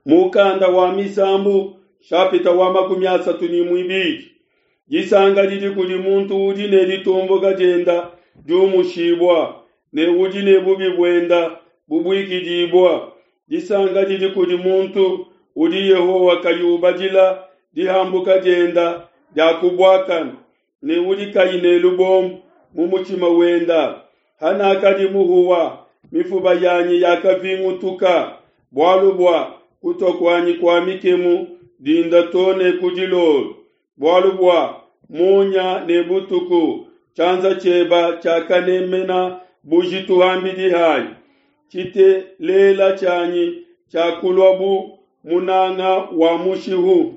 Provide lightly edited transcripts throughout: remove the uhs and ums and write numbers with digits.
Mukanda wa Misambu shapita wa 32. Disanka didi kudi muntu udi ne ditomboka dienda diumushibua, ne udi ne bubi buenda bubuikidibua. Disanka didi kudi muntu udi Yehowa kayi ubadila dihambuka dienda dia ku buakane, ne udi kayi ne lubombo mu mutshima wenda. Hanakadi muhuwa, mifuba yanyi yakavingutuka, bualu bua kutua kuanyi kua mikemu dinda to ne ku dilolo. Bualu bua munya ne butuku tshianza tshieba tshiakanemena bujitu ham'bidi hanyi. Tshitelela tshianyi tshiakulua bu munanga wa mushihu.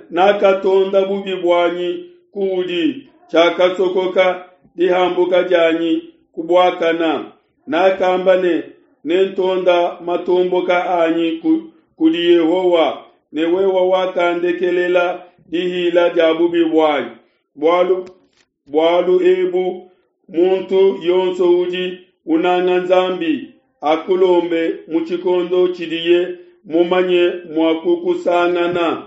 Nakatonda bubi buanyi kuudi, tshiakasokoka dihambuka dianyi ku buakana. Nakamba ne, Nentonda matomboka anyi kudi Yehowa, ne wewe wakandekelela dihila dia bubi buanyi. Bualu bualu ebu muntu yonso udi unanga Nzambi akulombe mu tshikondo tshidiye mumanye mua kukusangana.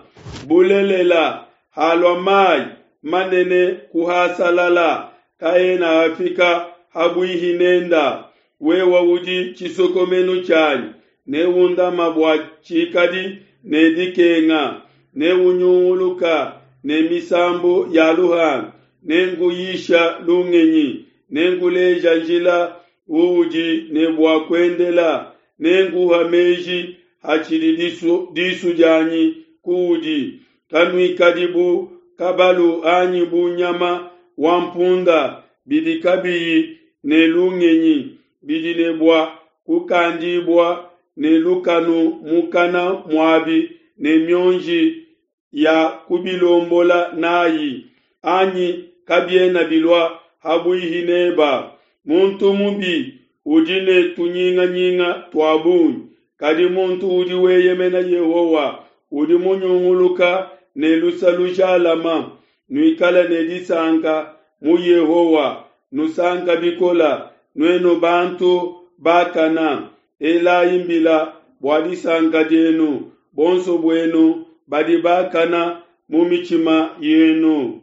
Bulelela, halua mai manene kuhasalala, kaena afika ha buihi nenda. Wewe udi tshisokomenu tshianyi, neundama bua tshikadi ne dikenga, neunyunguluka ne misambu ya luhandu, nenkuyisha lungenyi, nenkuleja njila uudi ne bua kuendela, nenkuha meji hatshidi disu, disu dianyi kuudi. Kanuikadi bu kabalu anyi bu nyama wa mpunda bidi kabiyi ne lungenyi, bidi ne bua kukandibua ne lukanu mukana muabi ne mionji ya kubilombola nayi, anyi kabiena bilua ha buihi neba. Muntu mubi udi ne tunyinganyinga tua bungi, kadi muntu udi weyemena Yehowa udi munyunguluka ne lusa lujalama. Nuikale ne disanka mu Yehowa, nusanka bikola, nuenu bantu bakana. Elayi mbila bua disanka dienu, bonso buenu badi bakana mu mitshima yenu.